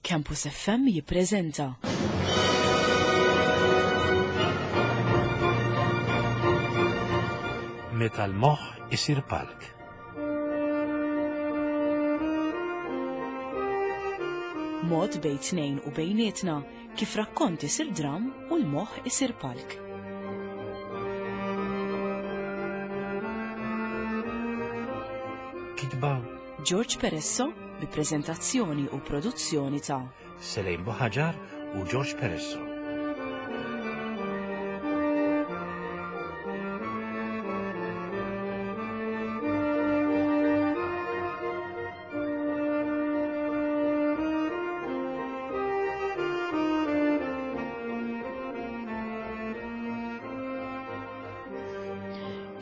Campus FM jippreżenta. Meta l-moħħ isir palk. Mod bejn tnejn u bejnietna kif rakkont isir dram u l-moħħ isir palk. Kitba George Peresso bi preżentazzjoni u produzzjoni ta' Selejn Buħaġar u George Peresso.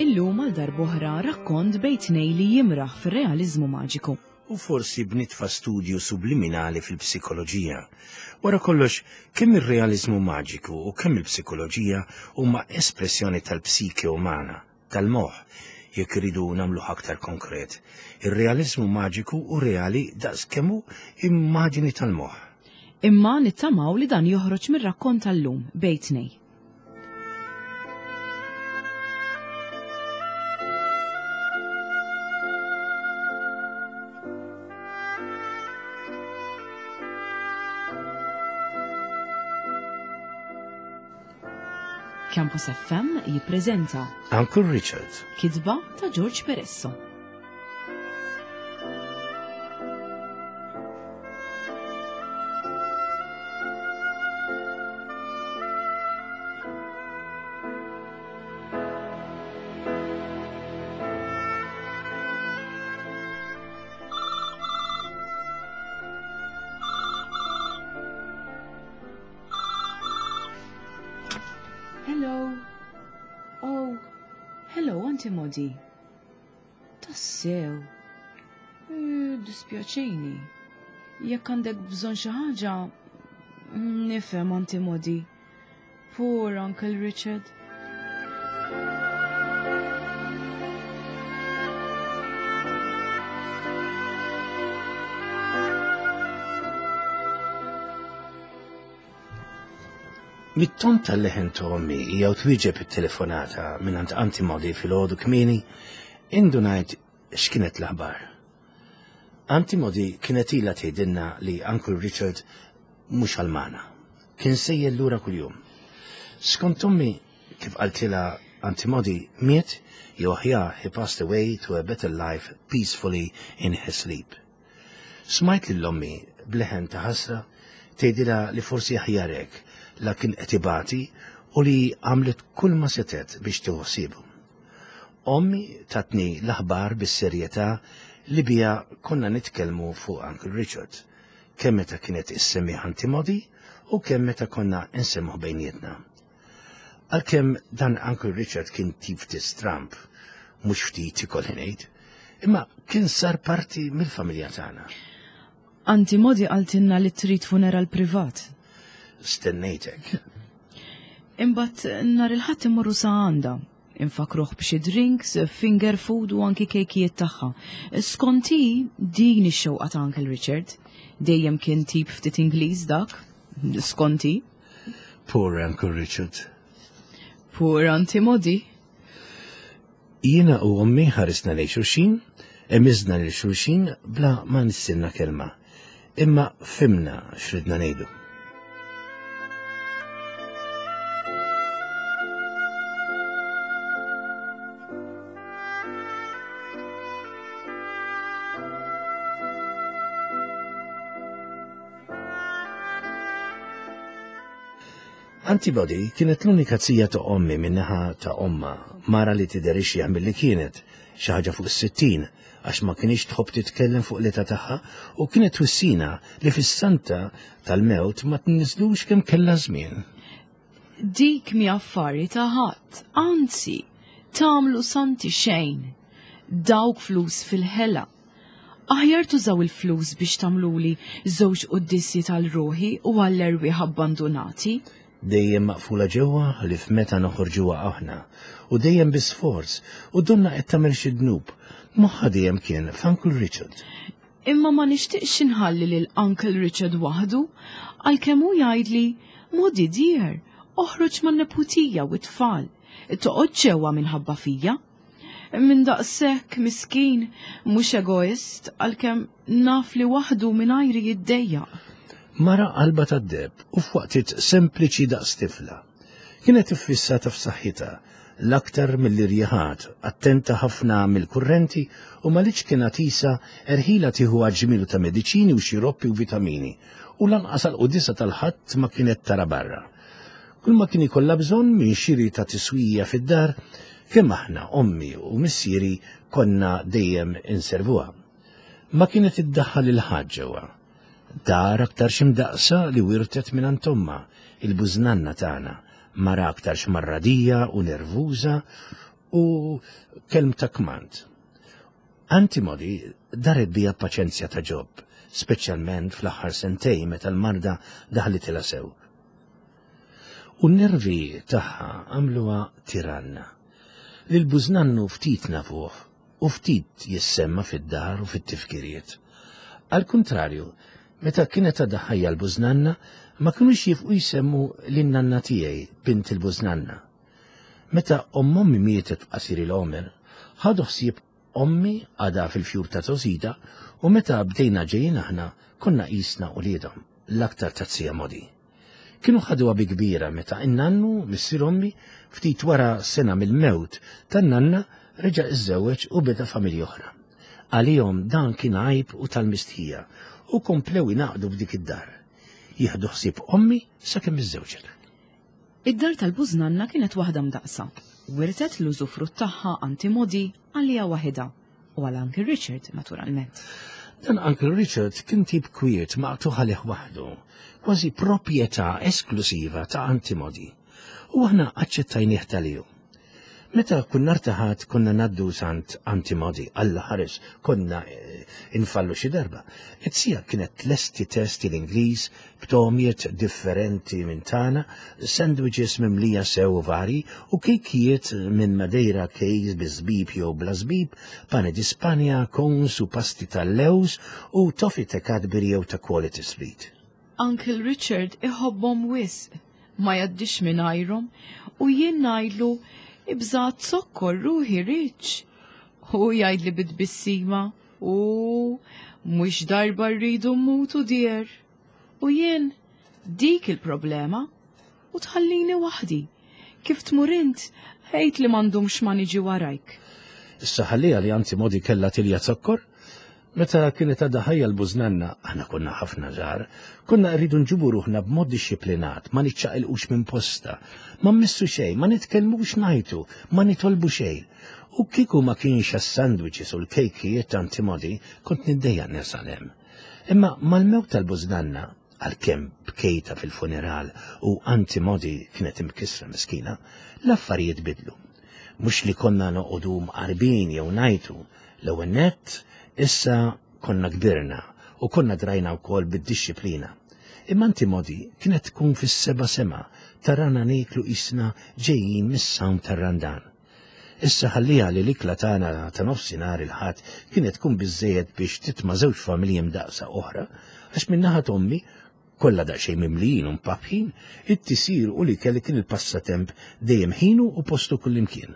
Illum għal darb'oħra rakkont bejn tnejn li jimraħ fir-realiżmu maġiku. U forsi b'nitfa studju subliminali fil-psikoloġija. Wara kollox, kemm ir-realiżmu maġiku u kemm il-psikoloġija huma espressjoni tal-psike umana, tal-moħħ, jekk irridu nagħmluh aktar konkret. Ir-realiżmu maġiku hu reali daqs kemm hu immaġini tal-moħħ. Imma nittamaw li dan joħroġ mir-rakkont tal-lum bejn tnejn. Campus FM jippreżenta Uncle Richard. Kitba ta' George Peresso. Hello. Oh, hello, Auntie Modi. Tassew. Eh, dispjaċini. Jekk għandek bżonn xi ħaġa, nifhem Auntie Modi. Poor Uncle Richard. Mit-ton tal-leħen ta' ommi jew twieġeb it-telefonata mingħand Auntie Modi filgħodu kmieni, indunajt x'kienet l-aħbar. Auntie Modi kienet ilha tgħidilna li Uncle Richard mhux għal magħna. Kien sejjer lura kuljum. Skont ommi, kif qaltilha Auntie Modi, miet jew aħjar he passed away to a better life peacefully in his sleep. Smajt lil ommi b'leħen ta' ħasra tgħidilha li forsi aħjar hekk la kien qed ibati u li għamlet kull ma setgħet biex tieħu ħsiebu. Ommi tatni l-aħbar bis-serjetà li biha konna nitkellmu fuq Uncle Richard, kemm meta kienet issemmih Auntie Modi u kemm meta konna nsemmuh bejnietna. Għalkemm dan Uncle Richard kien tip ftit stramb, mhux ftit ikolli ngħid, imma kien sar parti mill-familja tagħna. Auntie Modi qaltilna li trid funeral privat. Stennejtek. Imbagħad nhar il-Ħadd immorru sa għandha. Infakruh b'xi drinks, finger food u anki kejkijiet tagħha. Skont hi, din ix-xewqa ta' Uncle Richard. Dejjem kien tip ftit Ingliż dak, skont hi. Poor Uncle Richard. Poor Auntie Modi. Jiena u ommi ħarisna lejn xulxin, emiżna lil xulxin bla ma nissilna kelma. Imma fhimna x'ridna ngħidu. Antibody kienet l-unika zija ta' ommi min-naħa ta' omma, mara li tidher ixjaħ milli kienet, xi ħaġa fuq is-60, għax ma kinitx tħobb titkellem fuq l-età tagħha u kienet twissina li fis-santa tal-mewt ma tniżlux kemm kellha żmien. Dik mi affari ta' ħadd, anzi, tagħmlu santi xejn. Dawk flus fil-ħela. Aħjar tużaw il-flus biex tagħmluli żewġ quddiesi tal-ruħi u għall-erwieħ abbandunati. Dejjem maqfula ġewwa ħlief meta noħorġuha aħna, u dejjem bi sforz, u donnha qed tagħmel xi dnub. Moħħha dejjem kien f'Uncle Richard. Imma ma nixtieqx inħalli lil Uncle Richard waħdu, għalkemm hu jgħidli, Modi dear, oħroġ man-neputija u t-tfal, toqgħod ġewwa minħabba fija. Minn daqshekk miskin, mhux egoist, għalkemm naf li waħdu mingħajri jiddejjaq. Mara qalba tad-deheb u f'waqtiet sempliċi daqs tifla. Kienet iffissata f'saħħitha, l-aktar mill-irjiħat, attenta ħafna mill-kurrenti u ma litx kien għatisa erħilha tieħu għaġmielu ta' mediċini u xiroppi u vitamini u lanqas għall-quddiesa tal-Ħadd ma kienet tara barra. Kull ma kien ikollha bżonn minn xiri ta' tiswija fid-dar, kemm aħna, ommi u missieri konna dejjem inservuha. Ma kienet iddaħħal lil ħadd ġewwa. Dar aktarx imdaqqsa li wirtet mingħand ommha, il-bużnanna tagħna, mara aktarx marradija u nervuża u kelmta kmand. Auntie Modi daret bija b'paċenzja ta' Ġob, speċjalment fl-aħħar sentejn meta l-marda daħlitilha sew. U n-nervi tagħha għamluha tiranna. Lil bużnannu ftit nafuh u ftit jissemma fid-dar u fit-tifkiriet. Għall-kuntrarju, meta kienet għadha ħajja l-bużnanna, ma kinux jifqu jsemmu lin-nanna tiegħi, bint il-bużnanna. Meta omm ommi mietet f'qasir il-għomer, ħadu ħsieb ommi għadha fil-fjur ta' żgħożitha u meta bdejna ġejjin aħna konna qisna uliedhom, l-aktar taz-zija Modi. Kienu ħaduha bi kbira meta n-nannu, missier ommi, ftit wara sena mill-mewt tan-nanna reġa' iżżewweġ u beda familja oħra. Għalihom dan kien għajb u tal-mistħija u komplew ingħaqdu f'dik id-dar. Jieħdu ħsieb ommi sakemm iżżewġet. Id-dar tal-bużnanna kienet waħda mdaqqsa. Wirtet l-użufrutt tagħha Auntie Modi għaliha waħidha. U għal Uncle Richard, naturalment. Dan Uncle Richard kien tip kwiet maqtugħ għalih waħdu, kważi proprjetà esklusiva ta' Antimodi. U aħna aċċettajnieh tal-ju. Meta kull nhar ta' Ħadd konna ngħaddu sant Antimodi, Alla ħares konna eh, infallu xi darba. It-sija kienet tlesti testi l-Ingliż b'togħmiet differenti minn tagħna, sandwiches mimlija sew u varji u kejkijiet minn Madeira cakes bi żbib jew bla żbib, pane di Spanja, cones u pasti tal-lewż u toffee ta' Cadbury jew ta' Quality Street. Uncle Richard iħobbhom wisq, ma jgħaddix mingħajrhom u jien ngħidlu ibża' zokkor ruħi Rich. Hu jgħidli bi tbissima, U mhux darba rridu mmutu dear. U jien dik il-problema u tħallini waħdi. Kif tmur int, għid li ma ndumx ma niġi warajk. Issa ħalliha li anzi modi kellha tilja zokkor. Meta kienet għadha ħajja l-bużnanna, aħna konna ħafna żgħar, konna rridu nġibu ruħna b'mod dixxiplinat, ma niċċaqilqux minn posta, ma mmissu xejn, ma nitkellmux ngħajtu, ma nitolbu xejn. U kieku ma kienx għas-sandwiches u l-kejkijiet ta' Antimodi, kont niddejjaq nersaq hemm. Imma mal-mewt tal-bużnanna, għalkemm bkejtha fil-funeral u Antimodi kienet imkissra miskina, l-affarijiet bidlu. Mhux li konna noqogħdu mqarbin jew ngħajtu, l-ewwel nett, issa konna kbirna u konna drajna wkoll bid-dixxiplina. Imma Antimodi kienet tkun fis-seba' sema tarana nieklu qisna ġejjin mis-sawm tar-Randan. Issa ħalliha li l-ikla tagħna ta' nofsinhar il-Ħadd kienet tkun biżżejjed biex titma' żewġ familji mdaqqsa oħra, għax min-naħa t'ommi, kollha daqsxejn mimlijin u mpappħin, it-tisir u l-ikel kien il-passatemp dejjem ħinu u postu kullimkien.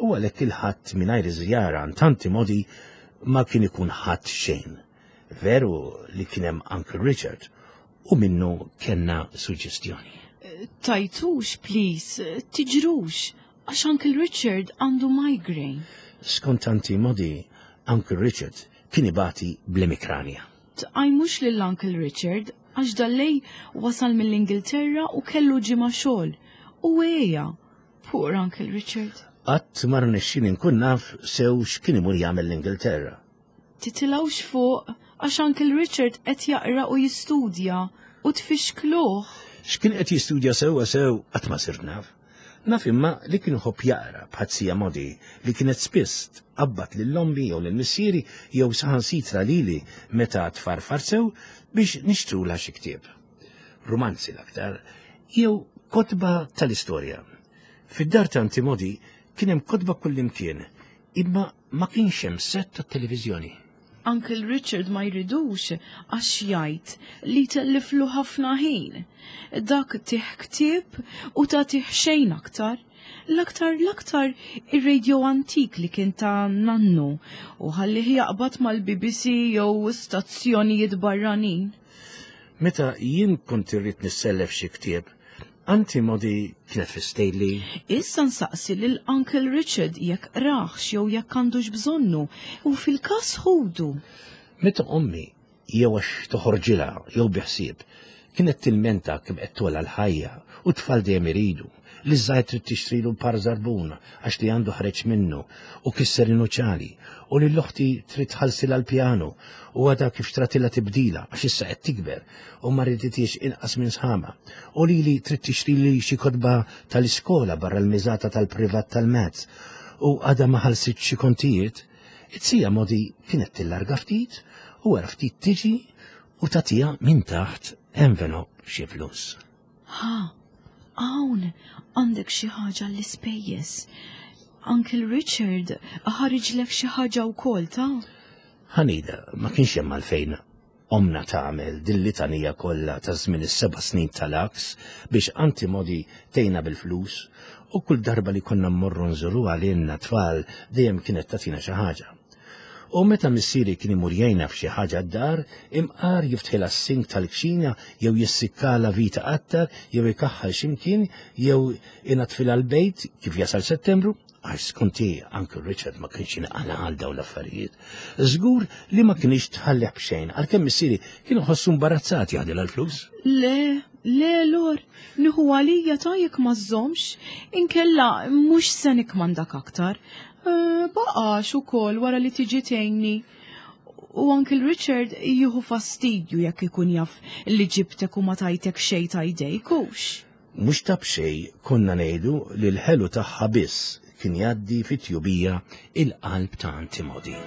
U għalhekk il-Ħadd mingħajr iż-żjara għand Tanti Modi ma kien ikun Ħadd xejn. Veru li kien hemm Uncle Richard u minnu kellna suġġestjoni. Tajtux, please, tiġrux, Għax Uncle Richard għandu migraine. Skont Auntie Modi, Uncle Richard kien ibati bl-emikranja. Tqajmux lil Uncle Richard għax dal-lejl wasal mill-Ingilterra u kellu ġimgħa xogħol. U għeja. Poor Uncle Richard. Qatt ma rnexxieli nkun naf sew x'kien imur jagħmel l-Ingilterra. Titilgħux fuq għax Uncle Richard qed jaqra u jistudja u tfixkluh. X'kien qed jistudja sewwa sew qatt ma sirt naf. Naf imma li kien iħobb jaqra bħat sija Modi li kienet spiss tqabbad lil ommi jew lil missieri jew saħansitra lili meta tfarfar sew biex nixtrulha xi ktieb. Rumanzi l-aktar, jew kotba tal-istorja. Fid-dar ta' Anti Modi kien hemm kotba kullimkien, imma ma kienx hemm sett tat-televiżjoni. Uncle Richard ma jridux għax jgħid li telliflu ħafna ħin. Dak tih ktieb u tagħtih xejn aktar. L-aktar l-aktar ir-radio antik li kien ta' nannu u ħallih jaqbad mal-BBC jew stazzjonijiet barranin. Meta jien kont irrid nissellef xi ktieb, Anti Modi kienet fistejli. Issa nsaqsi lil Uncle Richard jekk qrahx jew jekk għandux bżonnu u fil-każ ħudu. Meta ommi jew għax toħorġilha jew bi ħsieb kienet tilmenta kemm qed togħla l-ħajja u t-tfal dejjem iridu, li ż-żgħir trid tixtrilu par żarbun għax li għandu ħareġ minnu u kisser in-nuċali u lil oħti trid tħallsilha l-pjanu u għadha kif xtratilha tibdila għax issa qed tikber u ma riditiex inqas minn sħabha u lili trid tixtrili xi kotba tal-iskola barra l-miżata tal-privat tal-mezz u għadha ma ħallsitx xi kontijiet, it-sija Modi kienet tillarga ftit u wara ftit tiġi u tagħtiha minn taħt envelop xi flus. Ha, hawn għandek xi ħaġa l-ispejjeż. Uncle Richard ħariġlek xi ħaġa wkoll ta'? Ħanida, ma kienx hemm għalfejn ommna tagħmel din litanija kollha ta' żmien is-seba' snin tal-għaks biex Aunty Modi tgħinha bil-flus u kull darba li konna mmorru nżuruha lilna tfal dejjem kienet tagħtina xi ħaġa. U meta missieri kien imur jgħinha f'xi ħaġa d-dar, imqar jiftħilha s-sink tal-kċina jew jissikkalha vita qattar jew ikaħħal x'imkien jew inaddfilha l-bejt kif jasal Settembru, għax skonti Uncle Richard ma kienx jinqala għal dawn l-affarijiet. Żgur li ma kienx tħallih b'xejn, għalkemm missieri kien iħossu imbarazzat jaħdilha l-flus. Le, le, Lor, nieħu għalija ta' jekk ma żżommx, inkella mhux se nikmandak aktar. Eh, baqax ukoll wara li tiġi tgħinni. U Uncle Richard jieħu fastidju jekk ikun jaf li ġibtek u ma tajtek xejn ta' jdejk hux. Mhux ta' b'xejn konna ngħidu li l-ħelu tagħha biss kien jgħaddi fit-tjubija il-qalb ta' Antimodi.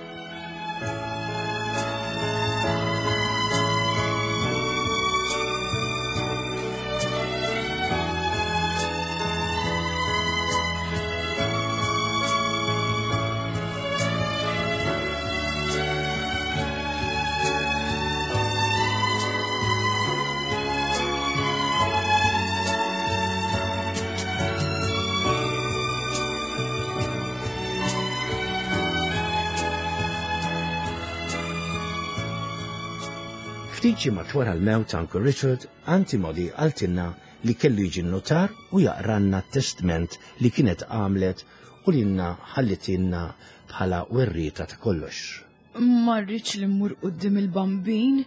Ftit ġimgħat wara l-mewt ta' Uncle Richard, Auntie Molly qaltilna li kellu jiġi n-nutar u jaqralna t-testment li kienet għamlet u lilna ħallitilna bħala werrieta ta' kollox. Ma rridx li mmur quddiem il-Bambin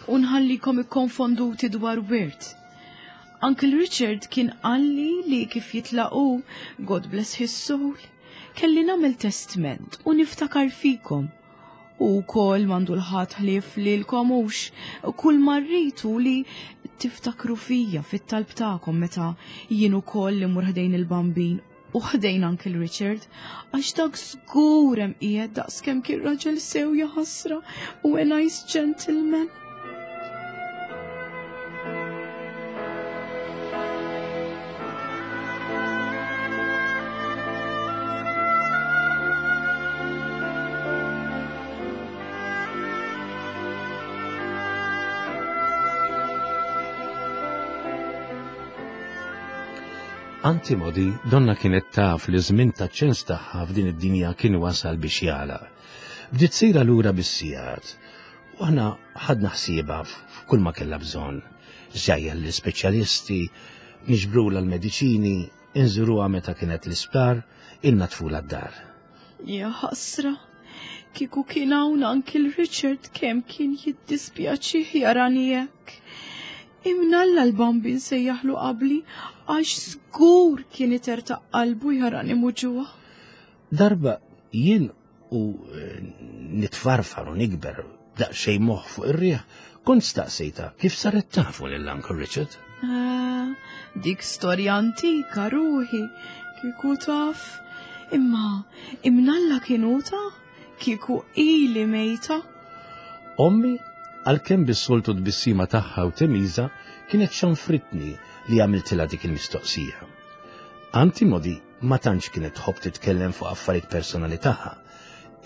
u nħallikom ikkonfonduti dwar wirt. Uncle Richard kien qalli li kif jitlaq hu, God bless his soul, kelli nagħmel testment u niftakar fikom. U wkoll m'għandu l-ħadd ħlief lilkom hux, kull ma rrid hu li tiftakru fija fit-talb tagħkom meta jien ukoll immur ħdejn il-Bambin u ħdejn Uncle Richard, għax dak żgur hemm qiegħed daqskemm kien raġel sew jaħasra u a nice gentleman. Auntie Modi donna kienet taf li żmien ta' ċens tagħha f'din id-dinja kien wasal biex jagħlaq. Bdiet sejra lura bis-sigħat u aħna ħadna ħsiebha f'kull ma kellha bżonn. Żjajjar l-ispeċjalisti, niġbrulha l-mediċini, inżuruha meta kienet l-isptar, innadfulha d-dar. Ja ħasra, kieku kien hawn Uncle Richard kemm kien jiddispjaċih jarani hekk. Imnalla l-Bambin sejjaħlu qabli għax żgur kien itertaq qalbu jarani muġugħa. Darba jien u eh, nitfarfar u nikber daqsxejn moħħ fuq ir-riħ, kont staqsejta kif saret tafu lil Uncle Richard. Ah, dik storja antika ruħi, kieku taf. Imma imnalla kienu ta' kieku ili mejta. Ommi, għalkemm bis-soltu tbissima tagħha u temiża, kienet xanfritni li għamiltilha dik il-mistoqsija. Anti Modi ma tantx kienet tħobb titkellem fuq affarijiet personali tagħha.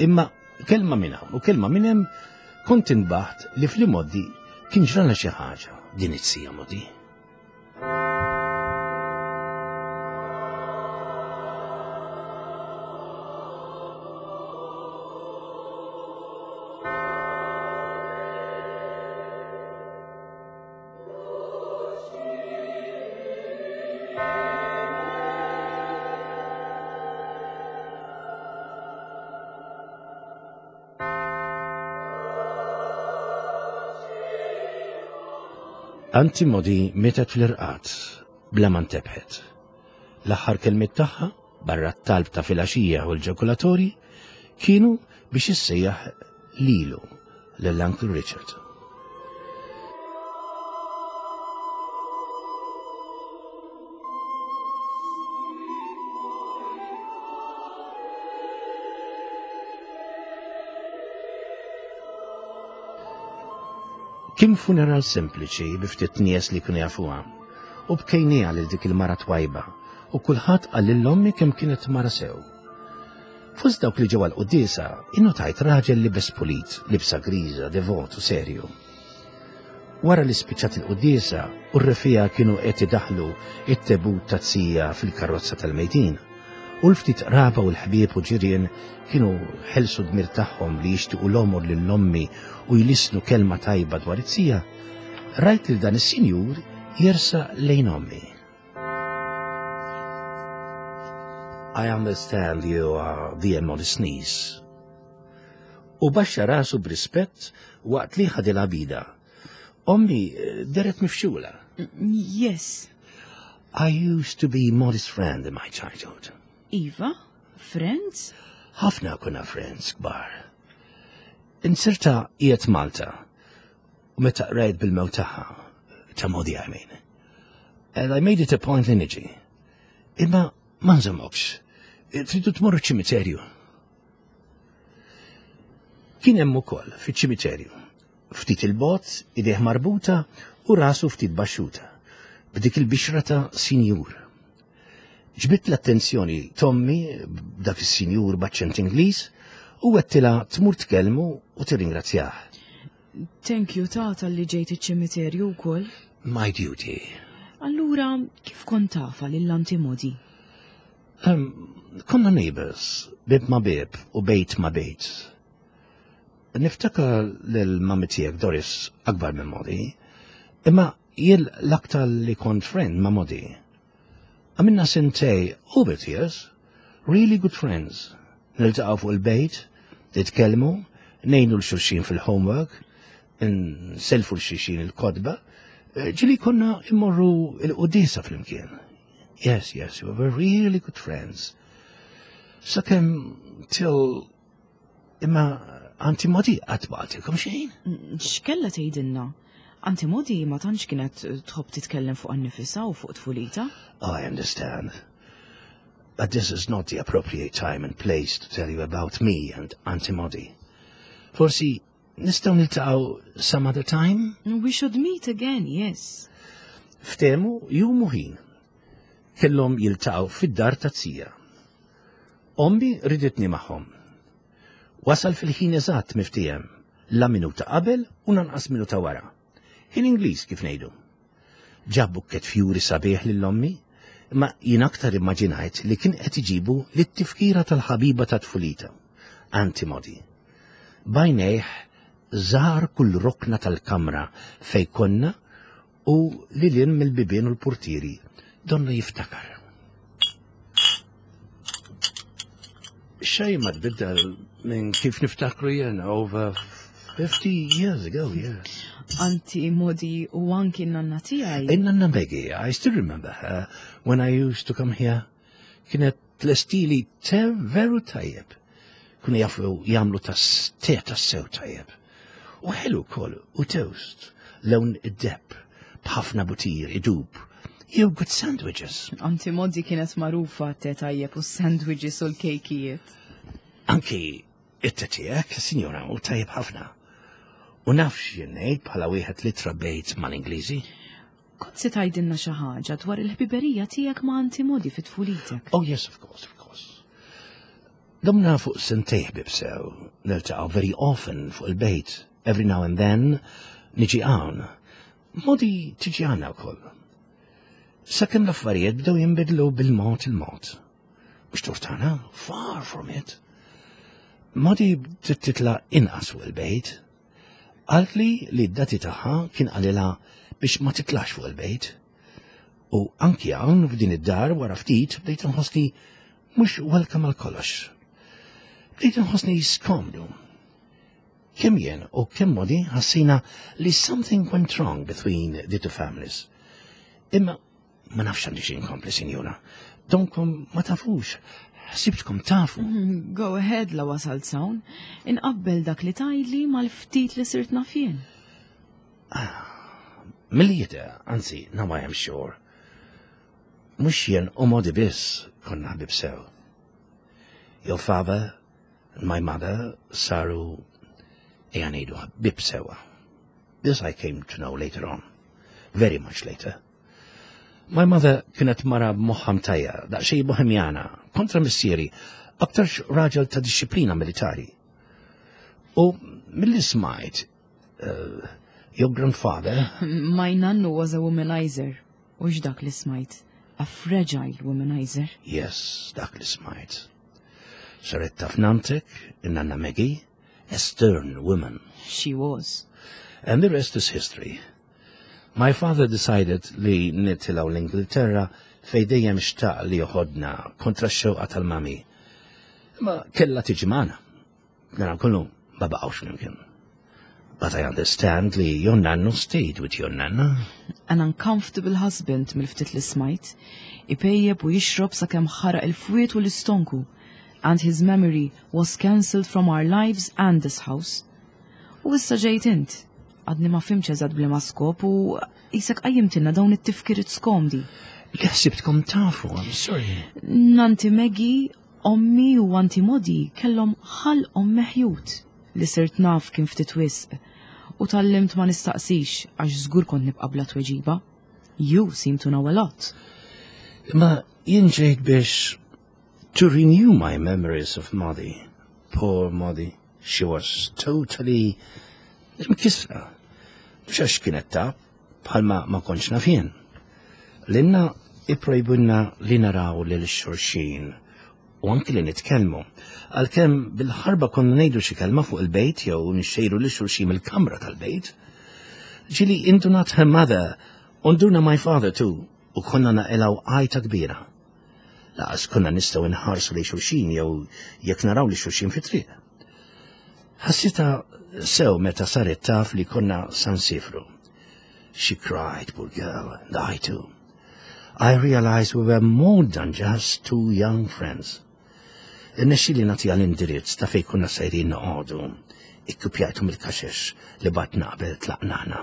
Imma kelma minn hawn u kelma minn hemm Kont inbaħt li fl-imoddi kien ġralha xi ħaġa din it-sija modi. Anti Modi mietet fl-irqad bla ma ntebħet. L-aħħar kelmiet tagħha, barra t-talb ta' filgħaxija u l-ġakulatorji, kienu biex issejjaħ lilu lil Uncle Richard. Kien funeral sempliċi bi ftit nies li kienu jafuha u bkejniha lil dik il-mara twajba u kulħadd qal lil ommi kemm kienet mara sew. Fost dawk li ġew għall-quddiesa, innotajt raġel libes pulit, libsa griża, devot u serju. Wara li spiċċat il-quddiesa u r-refija kienu qed idaħħlu it-tebut ta' zija fil-karozza tal-mejtin, u l-ftit qraba u l-ħbieb u ġirien kienu ħelsu dmir tagħhom li jixtiequ l-għomor lil ommi u jlissnu kelma tajba dwar it-zija, rajt lil dan is-sinjur jersaq lejn ommi. I understand you are the modest niece. U baxxa rasu b'rispett waqt li ħadilha bida. Ommi eh, deret mifxula. Yes. I used to be modest friend in my childhood. Iva, friends? Ħafna kuna friends kbar. Insirta qiegħed Malta u meta qrajt bil-mewt tagħha, ta' Modi I mean. And I made it a point li niġi. Imma ma nżommokx. Tridu tmorru ċimiterju. Kien hemm ukoll fiċ-ċimiterju. Ftit il-bot, idejh marbuta u rasu ftit baxxuta. B'dik il-bixra ta' sinjur. Ġbidt l-attenzjoni t'ommi b'dak is-sinjur b'aċċent Ingliż u għedtilha tmur tkellmu u tirringrazzjah. Thank you ta' talli ġejt iċ-ċimiterju wkoll. My duty. Allura, kif kont tafha lil Auntie Modi? Um, konna neighbors, bib ma bib u bejt ma bejt. Niftakar lil mami tiegħek Doris akbar minn Modi, imma jien l-aktar li kont friend ma' Modi. Għamilna sentej over years, really good friends. Niltaqgħu fuq il-bejt, nitkellmu, ngħinu l-xulxin fil-homework, nselfu l-xulxin il-kodba, ġili konna immorru il-qudisa flimkien. Yes, yes, we were really good friends. Sakemm till Imma Auntie Modi qatt ma qaltilkom xejn? X'kella tgħidilna? Auntie Modi ma tantx kienet tħobb titkellem fuq annifisha u fuq tfulita. I understand. But this is not the appropriate time and place to tell you about me and Auntie Modi. Forsi nistgħu niltaqgħu some other time? We should meet again, yes. Ftehmu jum u ħin. Kellhom jiltaqgħu fid-dar ta' zija. Ommi riditni magħhom. Wasal fil-ħin eżatt miftiehem, la minuta qabel u lanqas minuta wara. Ħin Ingliż kif ngħidu. Ġab bukkett fjuri sabiħ lil ommi, imma jien aktar immaġinajt li kien qed iġibu lit-tifkira tal-ħabiba ta' tfulita, Auntie Modi. B'għajnejh żar kull rokna tal-kamra fejn konna u lil hinn mill-bibien u l-purtieri, donnu jiftakar. Xejn ma tbiddel minn kif niftakru jien over 50 years ago, yes. Anti Modi u anki n-nanna tiegħi. In-nanna Maggie, I still remember her when I used to come here. Kienet tlestili te veru tajjeb. Kienu jafu jagħmlu tas te tassew tajjeb. U ħelu wkoll u toast, lewn id-deheb, b'ħafna butir idub, jew good sandwiches. Anti Modi kienet magħrufa te tajjeb u s-sandwiches u l-kejkijiet. Anki it-te tiegħek, sinjora, u tajjeb ħafna. U nafx jien ngħid bħala wieħed li trabbejt mal-Ingliżi. Kont se tgħidilna xi ħaġa dwar il-ħbiberija tiegħek ma' Auntie Modi fi tfulitek. Oh yes, of course, of course. Domna fuq sentej ħbib sew, niltaqgħu very often fuq il-bejt. every now and then niġi hawn. Modi tiġi għandna wkoll. Sakemm l-affarijiet bdew jinbidlu bil-mod il-mod. Mhux tortana, far from it. Modi bdiet titla' inqas fuq il-bejt. Qaltli li d-dati tagħha kien qalilha biex ma titlax fuq il-bejt. U anki hawn f'din id-dar wara ftit bdejt inħossni mhux welcome għal kollox. Bdejt inħossni skomdu. Kemm jien u kemm Modi ħassina li something went wrong between the two families. Imma ma nafx għandi xi nkompli, sinjura. Donkom ma tafux, ħsibtkom tafu. Mm, go ahead la wasalt sawn, inqabbel dak li tgħidli mal-ftit li sirt naf jien. Ah, milli jidher, anzi, now I am sure. Mhux jien u Modi biss konna ħbib sew. Your father and my mother saru ejja ngħidu ħbieb sewwa. This I came to know later on. Very much later. My mother kienet mara b'moħħa mtajjar, daqsxejn bohemjana, kontra missieri, aktarx raġel ta' disċiplina militari. U milli smajt, uh, your grandfather... My nannu was a womanizer. U dak li smajt? A fragile womanizer. Yes, dak li smajt. Saret taf nantek, in-nanna Maggie, a stern woman. She was. And the rest is history. My father decided li nitilgħu l-Ingilterra fejn dejjem xtaq li joħodna kontra x-xewqa tal-mami. Imma kellha tiġi magħna. Nara kollu ma baqgħux flimkien. But I understand li your nannu stayed with your nanna. An uncomfortable husband mill-ftit li smajt, ipejjep u jixrob sakemm ħaraq il-fwied u l-istonku, and his memory was cancelled from our lives and this house. U issa ġejt int. Għadni ma fhimtx eżatt b'liema skop u qisek qajjimtilna dawn it-tifkiriet skomdi. Li ħsibtkom tafu, I'm sorry. Nanti Maggie, ommi u anti Modi kellhom ħalqhom meħjut li sirt naf kien ftit wisq u tgħallimt ma nistaqsix għax żgur kont nibqa' bla tweġiba. You seem to know a lot. Imma jien ġejt biex to renew my memories of Modi. Poor Modi. She was totally imkissra. Mhux għax kienet taf, bħalma ma kontx naf jien. Lilna ipprojbunna li naraw lil xulxin u anki li nitkellmu. Għalkemm bil-ħarba konna ngħidu xi kelma fuq il-bejt jew nixxejru lil xulxin mill-kamra tal-bejt. Ġieli indunat her mother u nduna my father too u konna naqilgħu għajta kbira. Laqas konna nistgħu nħarsu lejn xulxin jew jekk naraw li xulxin fit-triq. Ħassitha sew meta saret taf li konna sa nsifru. She cried, poor girl, and I too. I realized we were more than just two young friends. Irnexxieli nagħtiha l-indirizz ta' fejn konna sejrin noqogħdu. Ikkupjajtu mill-kaxex li batna qabel tlaqna aħna.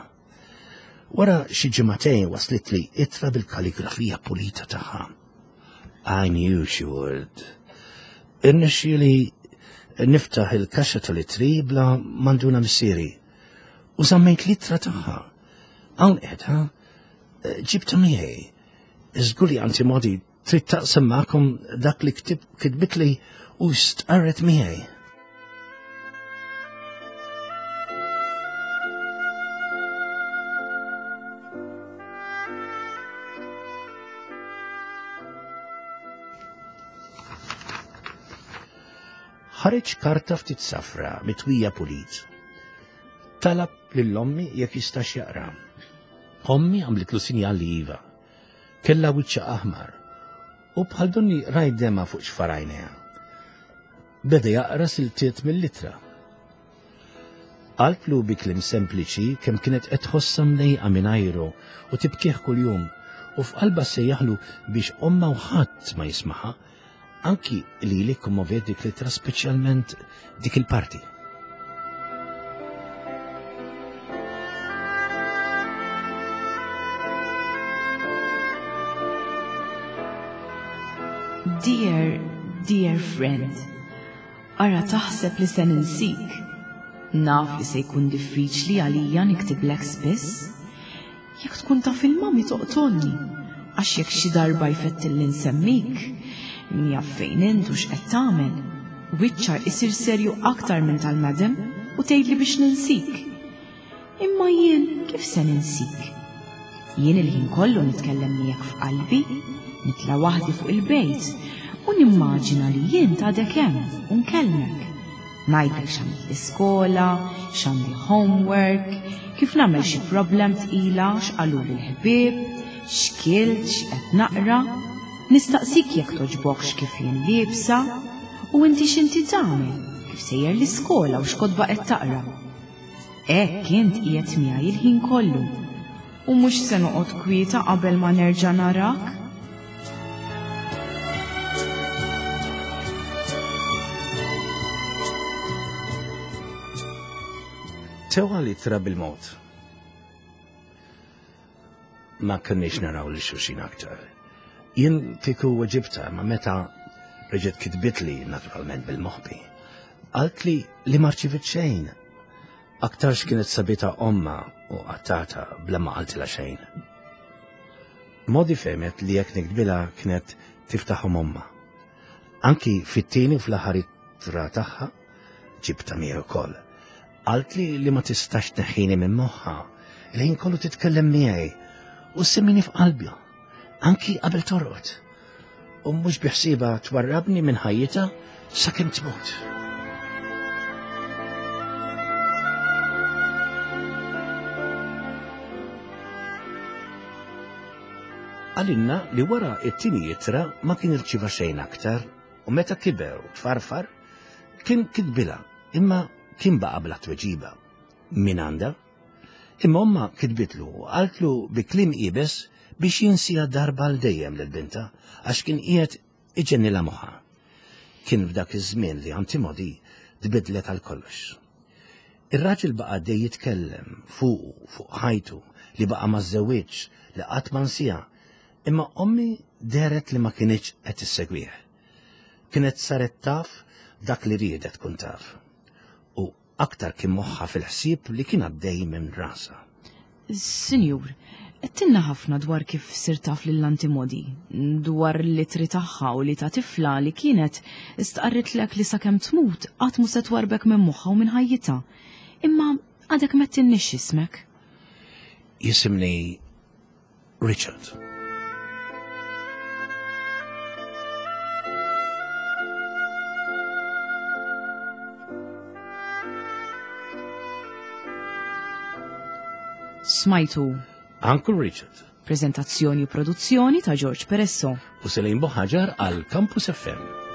Wara xi ġimagħtejn waslitli ittra bil-kaligrafija pulita tagħha. I knew she would. Irnexxieli niftaħ il-kaxxa tal-ittri bla manduna missieri u żammejt l-ittra tagħha. Hawn qiegħda, ġibta miegħi. Żgur li anti Modi Trid taqsam magħkom dak li kitbitli u stqarret miegħi. Ħareġ karta ftit safra mitwija pulit. Talab lil ommi jekk jistax jaqra. Ommi għamlitlu sinjal li iva. Kellha wiċċha aħmar u bħal donni rajt dema fuq xfar għajnejha. Beda jaqra siltiet mill-ittra. Qaltlu bi kliem sempliċi kemm kienet qed tħossha mdejqa mingħajru u tibkih kuljum u f'qalbha ssejjaħlu biex ommha u ħadd ma jismaha, anki lili kkommoviet dik l-ittra speċjalment dik il-parti. Dear, dear friend, ara taħseb li se ninsik. Naf li se jkun diffiċli għalija niktiblek spiss. Jekk tkun taf il-mami toqtolni, għax jekk xi darba jfettilli nsemmik, min jaf fejn int u x'qed tagħmel, wiċċha isir serju aktar minn tal-madam u tgħidli biex ninsik. Imma jien kif se ninsik? Jien il-ħin kollu nitkellem miegħek f'qalbi, nitla' waħdi fuq il-bejt u nimmaġina li jien għadek hemm u nkellmek. Ngħidlek x'għamilt l-iskola, x'għandi homework, kif nagħmel xi problem tqila, x'qaluli l-ħbieb, x'kilt, x'qed naqra. Nistaqsik jekk togħġbokx kif jien liebsa, u inti x'inti tagħmel, kif sejjer l-iskola u x'kotba qed taqra. Hekk int qiegħed miegħi il-ħin kollu. U mhux se noqgħod kwieta qabel ma nerġa' narak. Tewa li tra bil-mod. Ma kenniex naraw li xulxin aktar. Jien kieku weġibta ma meta reġgħet kitbitli naturalment bil-moħbi. Qaltli li ma rċivit xejn. Aktarx kienet sabita omma u qattata bla ma qaltilha xejn. Modi fehmet li jekk niktbilha kienet tiftaħhom omma. Anki fit-tieni u fl-aħħar ittra tagħha ġibta miegħi wkoll. Qaltli li ma tistax tneħħini minn moħħha, il-ħin kollu titkellem miegħi u semmini f'qalbha, anki qabel torqod. U mhux biħsiebha twarrabni minn ħajjitha sakemm tmut. Għalinna li wara it-tieni ittra ma kien irċiva xejn aktar u meta kiber u tfarfar kien kitbilha imma kien baqa' bla tweġiba. Min għandha? Imma omma kitbitlu u qaltlu bi kliem iebes biex jinsija darba għal dejjem lil bintha għax kien qiegħed iġennilha moħħha. Kien f'dak iż-żmien li Antimodi tbiddlet għal kollox. Ir-raġel baqa' għaddej jitkellem fuqu, fuq ħajtu, li baqa' ma żżewwiġx, li qatt ma nsiha, imma ommi dehret li ma kinitx qed issegwih. Kienet saret taf dak li riedet tkun taf. U aktar kien moħħha fil-ħsieb li kien għaddej minn rasha. Sinjur, għedtilna ħafna dwar kif sirt taf lil Antimodi, dwar l-ittri tagħha u li ta' tifla li kienet stqarritlek li sakemm tmut qatt mhu se twarrbek minn moħħha u minn ħajjitha. Imma għadek m'għedtilniex x'ismek. Jisimni Richard. Smajtu. Uncle Richard. Prezentazzjoni u produzzjoni ta' George Peresso. U Selin Boħaġar għal Campus FM.